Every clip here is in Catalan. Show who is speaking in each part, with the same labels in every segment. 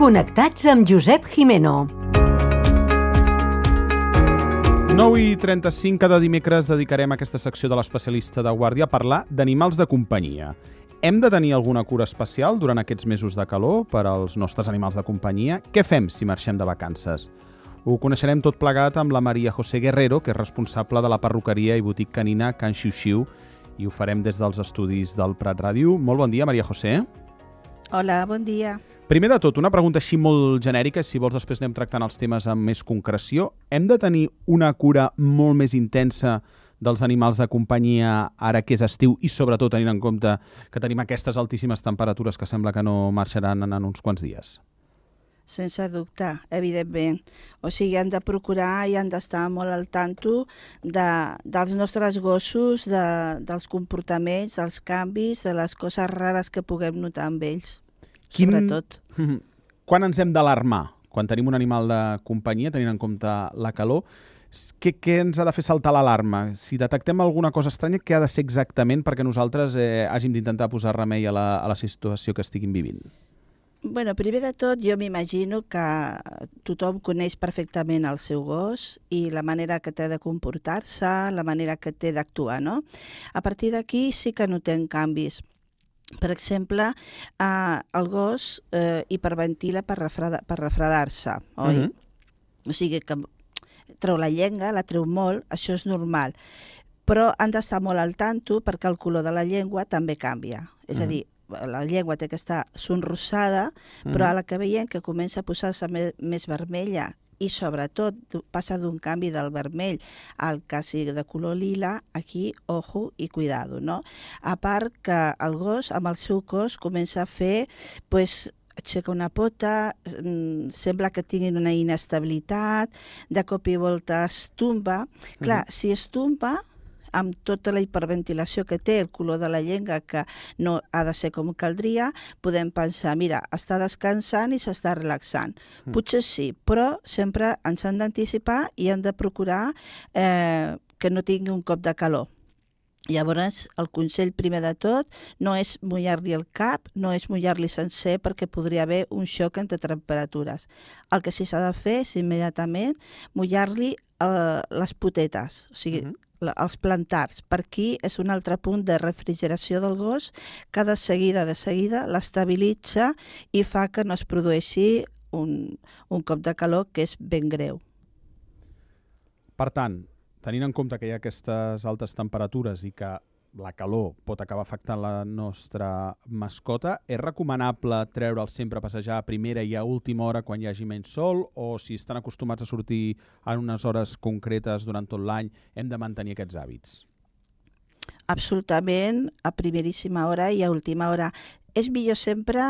Speaker 1: Connectats amb Josep Gimeno.
Speaker 2: 9:35 cada dimecres dedicarem aquesta secció de l'especialista de guàrdia a parlar d'animals de companyia. Hem de tenir alguna cura especial durant aquests mesos de calor per als nostres animals de companyia? Què fem si marxem de vacances? Ho coneixerem tot plegat amb la Maria José Guerrero, que és responsable de la perruqueria i botic canina Can Xiu-Xiu, i ho farem des dels estudis del Prat Ràdio. Molt bon dia, Maria José.
Speaker 3: Hola, bon dia.
Speaker 2: Primer de tot, una pregunta així molt genèrica, si vols després anem tractant els temes amb més concreció. Hem de tenir una cura molt més intensa dels animals de companyia ara que és estiu i sobretot tenint en compte que tenim aquestes altíssimes temperatures que sembla que no marxaran en uns quants dies?
Speaker 3: Sense dubte, evidentment. O sigui, han de procurar i han d'estar molt al tanto dels nostres gossos, dels comportaments, dels canvis, de les coses rares que puguem notar amb ells. Sobretot.
Speaker 2: Quan ens hem d'alarmar? Quan tenim un animal de companyia, tenint en compte la calor, què ens ha de fer saltar l'alarma? Si detectem alguna cosa estranya, què ha de ser exactament perquè nosaltres hàgim d'intentar posar remei a la situació que estiguin vivint?
Speaker 3: Bueno, primer de tot, jo m'imagino que tothom coneix perfectament el seu gos i la manera que té de comportar-se, la manera que té d'actuar, no? A partir d'aquí sí que notem canvis. Per exemple, el gos hiperventila per refredar-se, oi? O sigui que treu la llengua, la treu molt, això és normal. Però han d'estar molt al tanto perquè el color de la llengua també canvia. És a dir, la llengua té que estar sonrossada, però a la que veiem que comença a posar-se més vermella i sobretot passa d'un canvi del vermell al quasi de color lila, aquí, ojo i cuidado, no? A part que el gos, amb el seu cos, comença a fer, aixeca una pota, sembla que tinguin una inestabilitat, de cop i volta es tomba. Clar, si es tomba, amb tota la hiperventilació que té, el color de la llengua que no ha de ser com caldria, podem pensar, mira, està descansant i s'està relaxant. Potser sí, però sempre ens han d'anticipar i hem de procurar que no tingui un cop de calor. Llavors, el consell primer de tot no és mullar-li el cap, no és mullar-li sencer perquè podria haver un xoc entre temperatures. El que sí s'ha de fer és immediatament mullar-li les potetes, o sigui, els plantars. Per aquí és un altre punt de refrigeració del gos que de seguida l'estabilitza i fa que no es produeixi un cop de calor que és ben greu.
Speaker 2: Per tant, tenint en compte que hi ha aquestes altes temperatures i que la calor pot acabar afectant la nostra mascota, és recomanable treure'ls sempre a passejar a primera i a última hora quan hi hagi menys sol, o si estan acostumats a sortir en unes hores concretes durant tot l'any, hem de mantenir aquests hàbits?
Speaker 3: Absolutament, a primeríssima hora i a última hora. És millor sempre,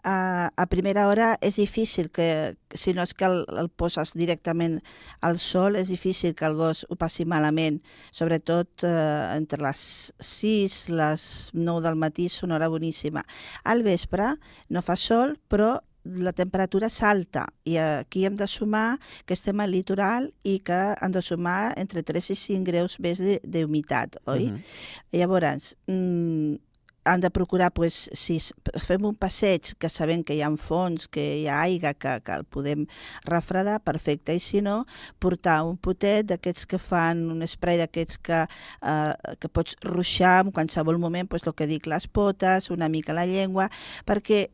Speaker 3: a primera hora és difícil, que si no és que el poses directament al sol, és difícil que el gos ho passi malament, sobretot entre les 6 i les 9 del matí és una hora boníssima. Al vespre no fa sol, però la temperatura salta i aquí hem de sumar que estem al litoral i que han de sumar entre 3 i 5 graus més d'humitat, oi? Llavors, han de procurar, si fem un passeig que sabem que hi ha fons, que hi ha aigua, que el podem refredar, perfecte. I si no, portar un potet d'aquests que fan un spray d'aquests que pots ruixar en qualsevol moment, el que dic, les potes, una mica la llengua, perquè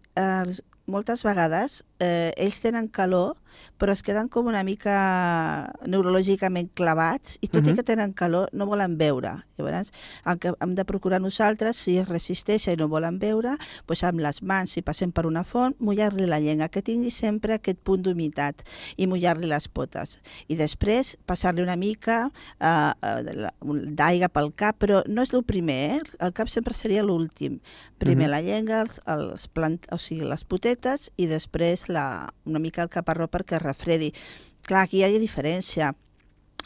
Speaker 3: moltes vegades ells tenen calor, però es queden com una mica neurològicament clavats i tot i que tenen calor no volen beure. Llavors, hem de procurar nosaltres, si es resisteixen i no volen beure, doncs amb les mans, si passem per una font, mullar-li la llengua, que tingui sempre aquest punt d'humitat i mullar-li les potes. I després passar-li una mica d'aigua pel cap, però no és el primer, el cap sempre seria l'últim. Primer la llengua, les potetes i després una mica el caparró perquè es refredi. Clar, aquí hi ha diferència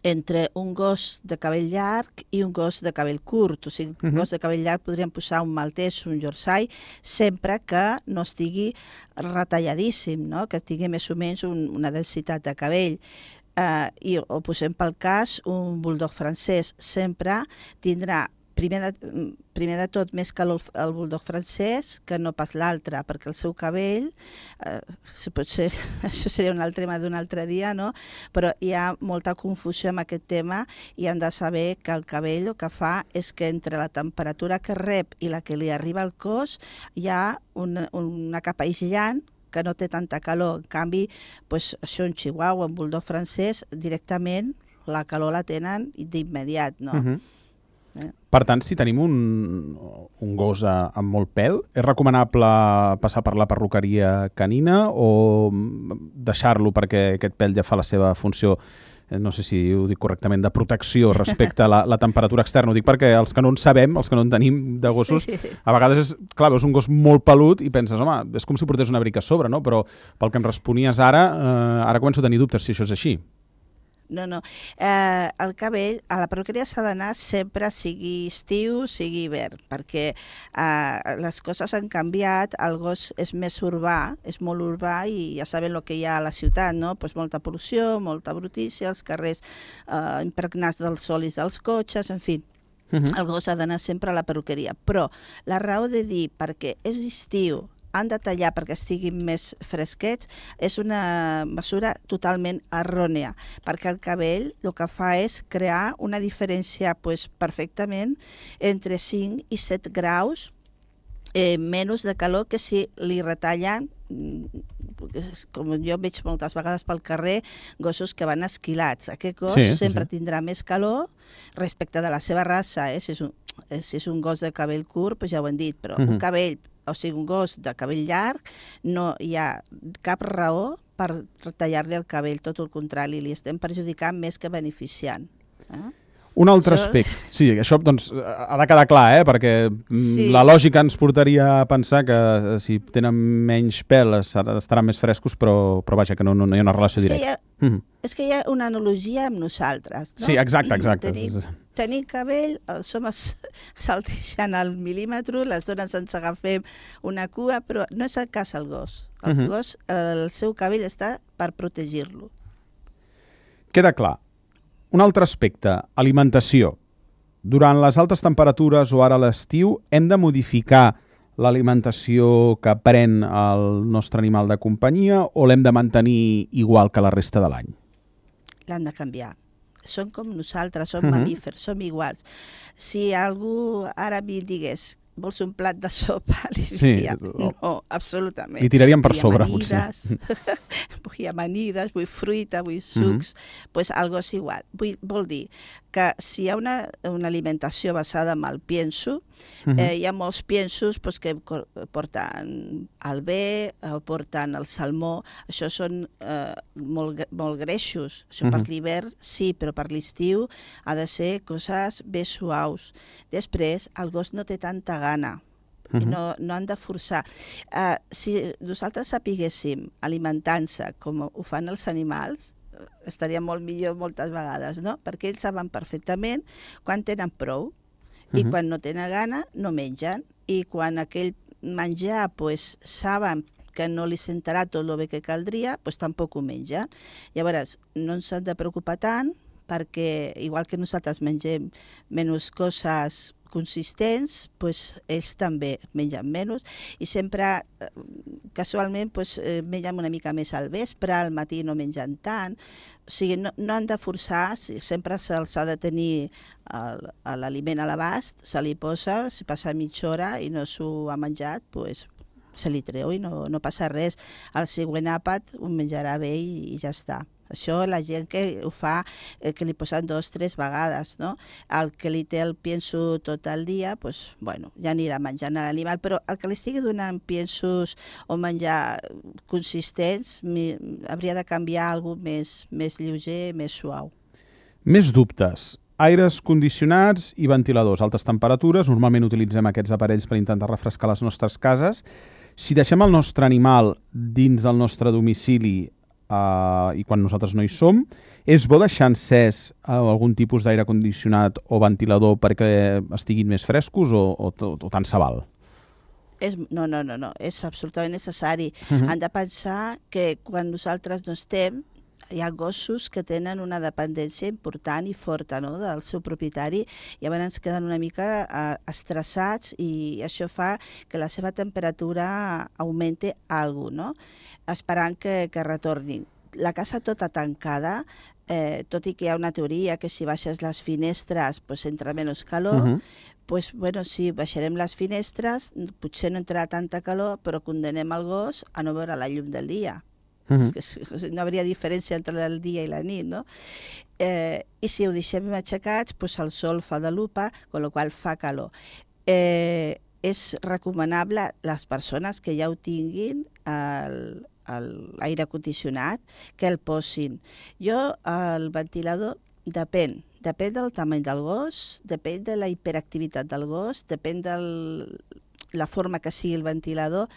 Speaker 3: entre un gos de cabell llarg i un gos de cabell curt. O sigui, un gos de cabell llarg podríem posar un maltès, un yorkshire, sempre que no estigui retalladíssim, no? Que tingui més o menys una densitat de cabell. O posem pel cas un bulldog francès. Sempre tindrà primer de tot, més calor el bulldog francès que no pas l'altre, perquè el seu cabell, potser això seria un altre tema d'un altre dia, no? Però hi ha molta confusió amb aquest tema i hem de saber que el cabell el que fa és que entre la temperatura que rep i la que li arriba al cos hi ha una capa aïllant que no té tanta calor. En canvi, doncs, això un chihuahua, un bulldog francès, directament la calor la tenen d'immediat, no?
Speaker 2: Per tant, si tenim un gos amb molt pèl, és recomanable passar per la perruqueria canina o deixar-lo perquè aquest pèl ja fa la seva funció, no sé si ho dic correctament, de protecció respecte a la temperatura externa? Ho dic perquè els que no en sabem, els que no en tenim de gossos, a vegades veus un gos molt pelut i penses, home, és com si portés un abric a sobre, no? Però pel que em responies ara començo a tenir dubtes si això és així.
Speaker 3: No. El cabell, a la perruqueria s'ha d'anar sempre, sigui estiu, sigui hivern, perquè les coses han canviat, el gos és més urbà, és molt urbà i ja saben el que hi ha a la ciutat, no? Pues molta pol·lució, molta brutícia, els carrers impregnats dels olis dels cotxes, en fi. El gos ha d'anar sempre a la perruqueria. Però la raó de dir perquè és estiu, han de tallar perquè estiguin més fresquets, és una mesura totalment errònia, perquè el cabell el que fa és crear una diferència perfectament entre 5 i 7 graus menys de calor que si li retallen, com jo veig moltes vegades pel carrer, gossos que van esquilats. Aquest gos sempre tindrà més calor respecte de la seva raça. Si és un gos de cabell curt, doncs ja ho hem dit, però un cabell, o sigui, un gos de cabell llarg, no hi ha cap raó per tallar-li el cabell, tot el contrari, li estem perjudicant més que beneficiant.
Speaker 2: Un altre aspecte. Sí, això doncs, ha de quedar clar, perquè la lògica ens portaria a pensar que si tenen menys pèl estaran més frescos, però vaja, que no hi ha una relació directa.
Speaker 3: És que hi ha una analogia amb nosaltres, no?
Speaker 2: Sí, exacte.
Speaker 3: Tenim cabell, els homes salteixen al mil·límetre, les dones ens agafem una cua, però no és el cas el gos. El gos, el seu cabell està per protegir-lo.
Speaker 2: Queda clar. Un altre aspecte, alimentació. Durant les altes temperatures o ara a l'estiu, hem de modificar l'alimentació que pren el nostre animal de companyia o l'hem de mantenir igual que la resta de l'any?
Speaker 3: L'han de canviar. Són com nosaltres, som mamífers, som iguals. Si algú ara mi digués vols un plat de sopa, li diria, no, absolutament.
Speaker 2: Li tiraríem per sobre, potser.
Speaker 3: Vull amanides, vull fruita, vull sucs, doncs algo és igual. Vol dir que si hi ha una alimentació basada en el pienso, hi ha molts piensos que porten el bé, porten el salmó, això són molt greixos. Això per l'hivern sí, però per l'estiu ha de ser coses bé suaus. Després, el gos no té tanta gana i no han de forçar. Si nosaltres sapiguéssim alimentar-se com ho fan els animals, estaria molt millor moltes vegades, no? Perquè ells saben perfectament quan tenen prou i quan no tenen gana no mengen, i quan aquell menjar saben que no li sentarà tot el bé que caldria, tampoc ho mengen. Llavors, no ens hem de preocupar tant, perquè igual que nosaltres mengem menys coses consistents, ells també mengen menys i sempre, casualment, mengen una mica més al vespre, al matí no mengen tant. O sigui, no han de forçar, sempre se'ls ha de tenir l'aliment a l'abast, se li posa, si passa mitja hora i no s'ho ha menjat, se li treu i no passa res. El següent àpat ho menjarà bé i ja està. Això la gent que ho fa, que li posen 2 o 3 vegades, no? El que li té el pienso tot el dia, ja anirà menjant a l'animal, però el que li estigui donant piensos o menjar consistents hauria de canviar alguna cosa més lleuger, més suau.
Speaker 2: Més dubtes. Aires condicionats i ventiladors. Altes temperatures, normalment utilitzem aquests aparells per intentar refrescar les nostres cases. Si deixem el nostre animal dins del nostre domicili i quan nosaltres no hi som, és bo deixar encès algun tipus d'aire condicionat o ventilador perquè estiguin més frescos o tant se val?
Speaker 3: No, és absolutament necessari. Han de pensar que quan nosaltres no estem, hi ha gossos que tenen una dependència important i forta, no?, del seu propietari, i llavors queden una mica estressats i això fa que la seva temperatura augmente alguna cosa, no?, esperant que retornin. La casa tota tancada, tot i que hi ha una teoria que si baixes les finestres pues entra menys calor, pues, bueno, sí, baixarem les finestres, potser no entrarà tanta calor, però condenem el gos a no veure la llum del dia. No hauria diferència entre el dia i la nit, no? I si ho deixem aixecats, pues el sol fa de lupa, amb la qual fa calor. És recomanable les persones que ja ho tinguin l'aire condicionat que el posin. Jo, el ventilador, depèn del tamany del gos, depèn de la hiperactivitat del gos, depèn de la forma que sigui el ventilador,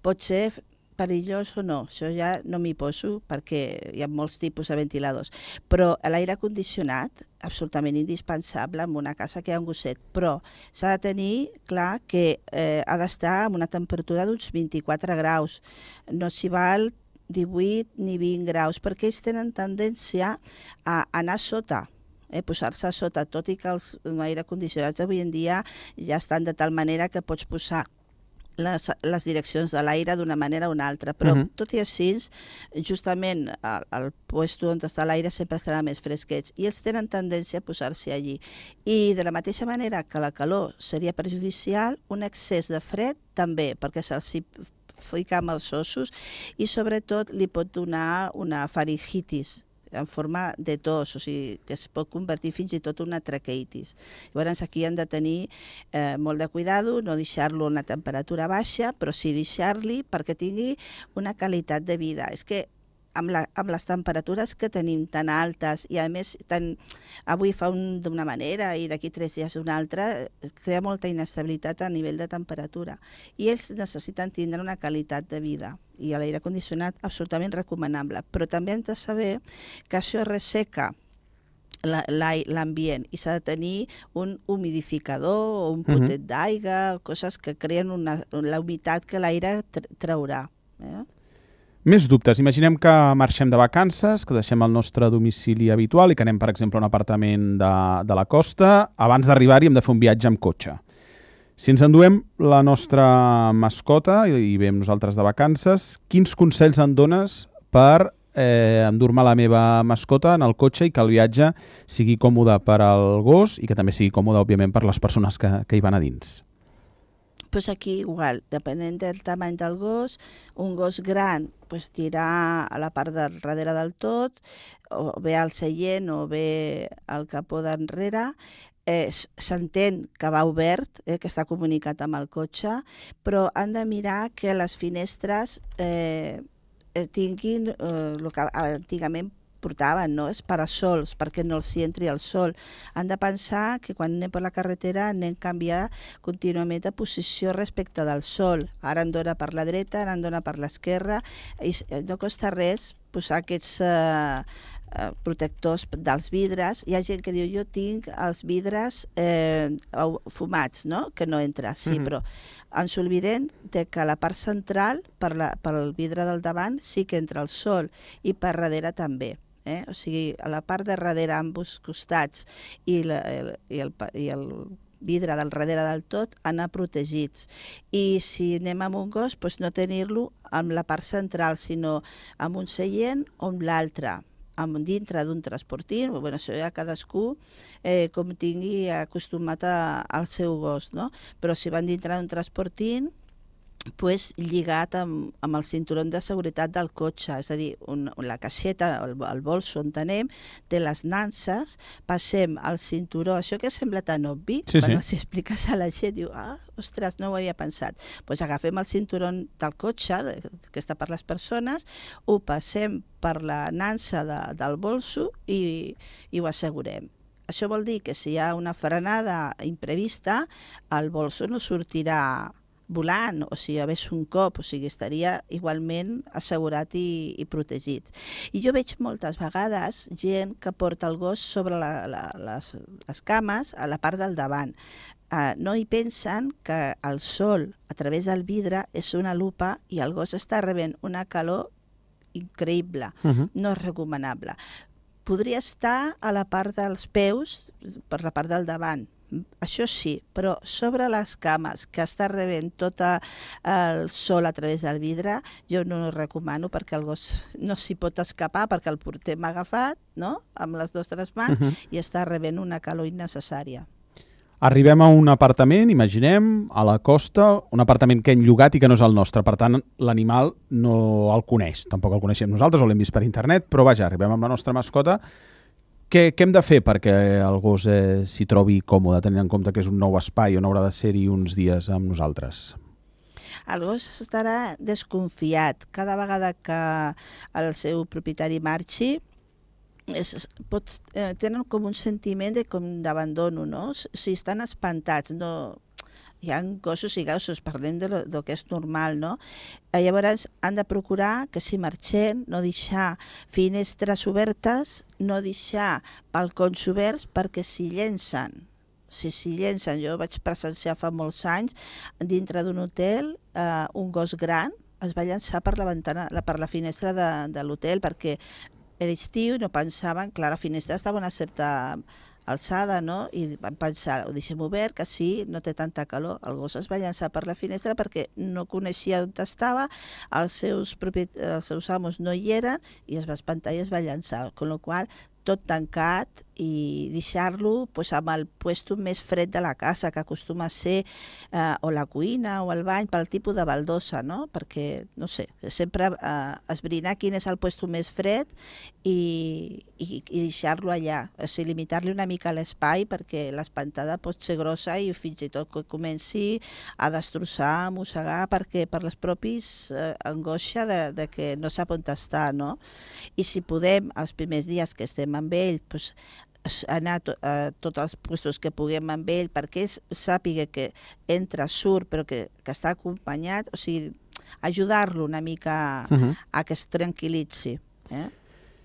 Speaker 3: pot ser perillós o no, això ja no m'hi poso perquè hi ha molts tipus de ventiladors, però l'aire condicionat absolutament indispensable en una casa que hi ha un gosset, però s'ha de tenir clar que ha d'estar en una temperatura d'uns 24 graus, no s'hi val 18 ni 20 graus, perquè ells tenen tendència a anar sota, posar-se a sota, tot i que els aire condicionats avui en dia ja estan de tal manera que pots posar les direccions de l'aire d'una manera o una altra, però tot i així, justament al lloc on està l'aire sempre estarà més fresquets i ells tenen tendència a posar-se allí. I de la mateixa manera que la calor seria perjudicial, un excés de fred també, perquè se'ls fica amb els ossos i sobretot li pot donar una faringitis en forma de tos, o sigui, que es pot convertir fins i tot en una traqueitis. Llavors aquí han de tenir molt de cuidado, no deixar-lo en la temperatura baixa, però sí deixar-li perquè tingui una qualitat de vida. És que amb les temperatures que tenim tan altes i a més avui fa d'una manera i d'aquí 3 dies d'una altra, crea molta inestabilitat a nivell de temperatura i ells necessiten tindre una qualitat de vida i l'aire condicionat absolutament recomanable, però també hem de saber que això resseca l'ambient i s'ha de tenir un humidificador o un potet d'aigua, coses que creen la humitat que l'aire traurà.
Speaker 2: Més dubtes. Imaginem que marxem de vacances, que deixem el nostre domicili habitual i que anem, per exemple, a un apartament de la costa. Abans d'arribar-hi hem de fer un viatge amb cotxe. Si ens enduem la nostra mascota i veiem nosaltres de vacances, quins consells em dones per endur-me la meva mascota en el cotxe i que el viatge sigui còmode per al gos i que també sigui còmode, òbviament, per les persones que hi van a dins?
Speaker 3: Pues aquí igual, depenent del tamany del gos, un gos gran anirà a la part del darrere del tot, o bé al seient o bé al capó d'enrere. S'entén que va obert, que està comunicat amb el cotxe, però han de mirar que les finestres tinguin el que antigament portaven, no? Els parasols, perquè no els hi entri el sol. Han de pensar que quan anem per la carretera anem a canviar contínuament de posició respecte del sol. Ara en dona per la dreta, ara en dona per l'esquerra, i no costa res posar aquests protectors dels vidres. Hi ha gent que diu, jo tinc els vidres fumats, no? Que no entra, sí, però ens oblidem de que a la part central, pel vidre del davant, sí que entra el sol, i per darrere també. O sigui, a la part de darrere, ambos costats, i el vidre del darrere del tot, anar protegits. I si anem amb un gos, no tenir-lo amb la part central, sinó amb un seient o amb l'altre, dintre d'un transportín. Això ja cadascú com tingui acostumat al seu gos, no? Però si van dintre d'un transportín, lligat amb el cinturó de seguretat del cotxe, és a dir, la caixeta, el bolso on anem, té les nanses, passem el cinturó, això que sembla tan obvi, quan els expliques a la gent, diu, ostres, no ho havia pensat. Agafem el cinturó del cotxe, que està per les persones, ho passem per la nansa del bolso i ho assegurem. Això vol dir que si hi ha una frenada imprevista, el bolso no sortirà volant, o si hi hagués un cop, o sigui, estaria igualment assegurat i protegit. I jo veig moltes vegades gent que porta el gos sobre les cames a la part del davant. No hi pensen que el sol a través del vidre és una lupa i el gos està rebent una calor increïble, no és recomanable. Podria estar a la part dels peus, per la part del davant, això sí, però sobre les cames, que està rebent tot el sol a través del vidre, jo no ho recomano perquè el gos no s'hi pot escapar perquè el portem agafat, no?, amb les nostres mans, i està rebent una calor innecessària.
Speaker 2: Arribem a un apartament, imaginem, a la costa, un apartament que hem llogat i que no és el nostre. Per tant, l'animal no el coneix. Tampoc el coneixem nosaltres, o l'hem vist per internet, però vaja, arribem amb la nostra mascota. Què hem de fer perquè el gos s'hi trobi còmode, tenint en compte que és un nou espai on haurà de ser-hi uns dies amb nosaltres?
Speaker 3: El gos estarà desconfiat. Cada vegada que el seu propietari marxi, tenen com un sentiment d'abandono, no? Si estan espantats, no... Hi ha gossos i gossos, parlem del que és normal, no? Llavors han de procurar que si marxem no deixar finestres obertes, no deixar balcons oberts perquè s'hi llencen. Si s'hi llencen, jo vaig presenciar fa molts anys, dintre d'un hotel, un gos gran es va llançar per la finestra de l'hotel perquè era estiu, no pensaven, clar, la finestra estava a una certa alçada, no? I van pensar, ho deixem obert, que sí, no té tanta calor. El gos es va llançar per la finestra perquè no coneixia on estava, els seus amos no hi eren i es va espantar i es va llançar, amb la qual cosa tot tancat i deixar-lo amb el puesto més fred de la casa, que acostuma a ser o la cuina o el bany, pel tipus de baldosa, no? Perquè, no sé, sempre esbrinar quin és el puesto més fred i deixar-lo allà. O sigui, limitar-li una mica l'espai perquè l'espantada pot ser grossa i fins i tot que comenci a destrossar, a mossegar, perquè per les propis angoixa de que no sap on està, no? I si podem, els primers dies que estem amb ell, anar a tots els puestos que puguem amb ell perquè sàpiga que entra, surt, però que està acompanyat, o sigui, ajudar-lo una mica a que es tranquil·litzi.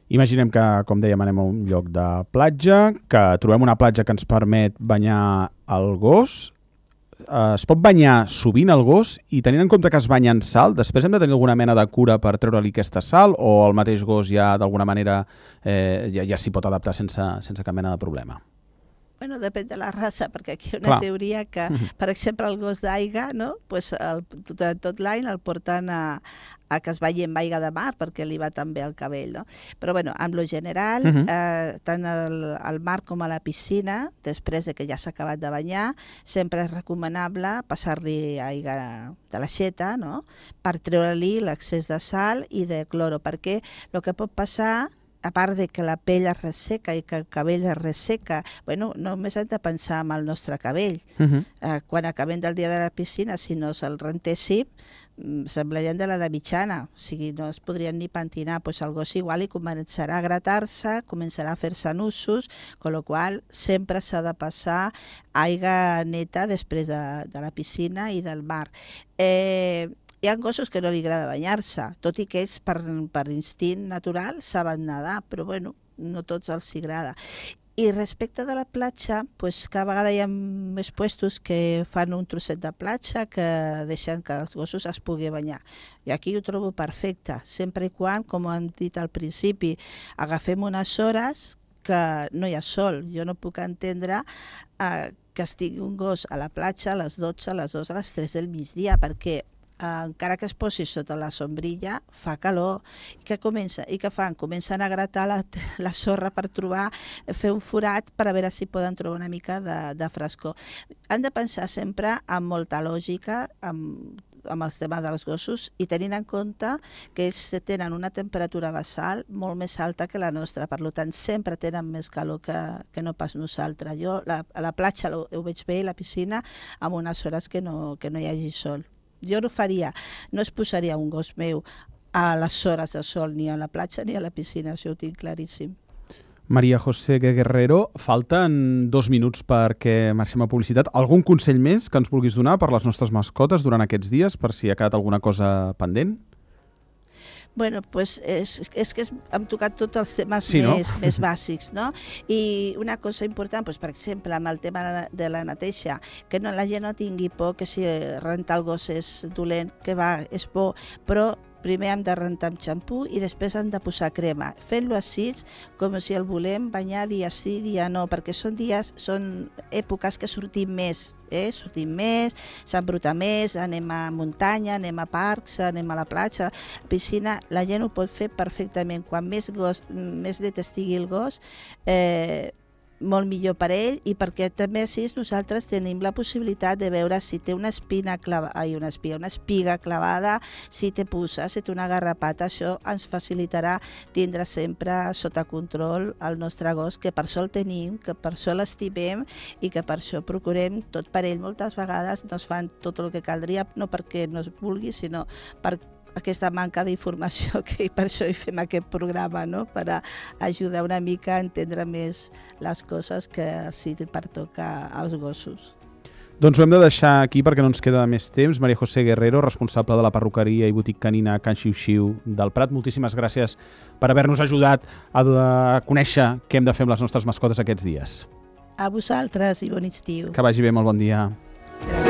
Speaker 2: Imaginem que, com dèiem, anem a un lloc de platja, que trobem una platja que ens permet banyar el gos. Es pot banyar sovint el gos i tenint en compte que es banya en sal, després hem de tenir alguna mena de cura per treure-li aquesta sal o el mateix gos ja d'alguna manera ja s'hi pot adaptar sense cap mena de problema?
Speaker 3: Bueno, depèn de la raça, perquè aquí hi ha una teoria que, per exemple, el gos d'aigua, no? Pues tot l'any el porten a que es balli amb aigua de mar perquè li va tan bé el cabell, no? Però bueno, en lo general, tant al mar com a la piscina, després de que ja s'ha acabat de banyar, sempre és recomanable passar-li aigua de l'aixeta, no? Per treure-li l'excés de sal i de cloro, perquè el que pot passar, a part de que la pell es resseca i que el cabell es resseca, bueno, només hem de pensar en el nostre cabell. Quan acabem del dia de la piscina, si no se'l rentéssim, semblarien de l'edat mitjana, o sigui, no es podrien ni pentinar. Pues el gos igual i començarà a gratar-se, començarà a fer-se nussos, amb la qual sempre s'ha de passar aigua neta després de la piscina i del mar. Hi ha gossos que no li agrada banyar-se, tot i que ells per instint natural saben nedar, però bueno, no tots els agrada. I respecte de la platja, pues, cada vegada hi ha més puestos que fan un trosset de platja que deixen que els gossos es pugui banyar. I aquí ho trobo perfecte, sempre i quan, com hem dit al principi, agafem unes hores que no hi ha sol. Jo no puc entendre que estigui un gos a la platja a les 12, a les 2, a les 3 del migdia, perquè encara que es posi sota la sombrilla, fa calor. I què fan? Comencen a gratar la sorra per fer un forat per a veure si poden trobar una mica de frescor. Han de pensar sempre amb molta lògica, amb els temes dels gossos i tenint en compte que ells tenen una temperatura basal molt més alta que la nostra, per tant sempre tenen més calor que no pas nosaltres. Jo a la platja ho veig bé, a la piscina, amb unes hores que no hi hagi sol. Jo no faria, no es posaria un gos meu a les hores de sol ni a la platja ni a la piscina, això ho tinc claríssim.
Speaker 2: María José Guerrero, falten 2 minuts perquè marxem a publicitat. Algun consell més que ens vulguis donar per les nostres mascotes durant aquests dies, per si ha quedat alguna cosa pendent?
Speaker 3: Bueno, pues és que hem tocat tots els temes més bàsics, no? I una cosa important, pues, per exemple, amb el tema de la neteja, que la gent no tingui por que si rentar el gos és dolent, que va, és bo, però primer hem de rentar amb xampú i després hem de posar crema, fent-lo així com si el volem banyar dia sí, dia no, perquè són èpoques que sortim més, s'embruta més, anem a muntanya, anem a parcs, anem a la platja, piscina, la gent ho pot fer perfectament. Quan més net estigui el gos, molt millor per ell, i perquè també així nosaltres tenim la possibilitat de veure si té una espiga clavada, si té puça, si té una garrapata. Això ens facilitarà tindre sempre sota control el nostre gos, que per això el tenim, que per això l'estimem i que per això procurem tot per ell. Moltes vegades no es fan tot el que caldria, no perquè no es vulgui, sinó per aquesta manca d'informació, que per això hi fem aquest programa, no? Per ajudar una mica a entendre més les coses que sí pertoca als gossos.
Speaker 2: Doncs ho hem de deixar aquí perquè no ens queda més temps. María José Guerrero, responsable de la perruqueria i botic canina Can Xiu-Xiu del Prat, moltíssimes gràcies per haver-nos ajudat a conèixer què hem de fer amb les nostres mascotes aquests dies.
Speaker 3: A vosaltres i bon estiu.
Speaker 2: Que vagi bé, molt bon dia.
Speaker 3: Gràcies.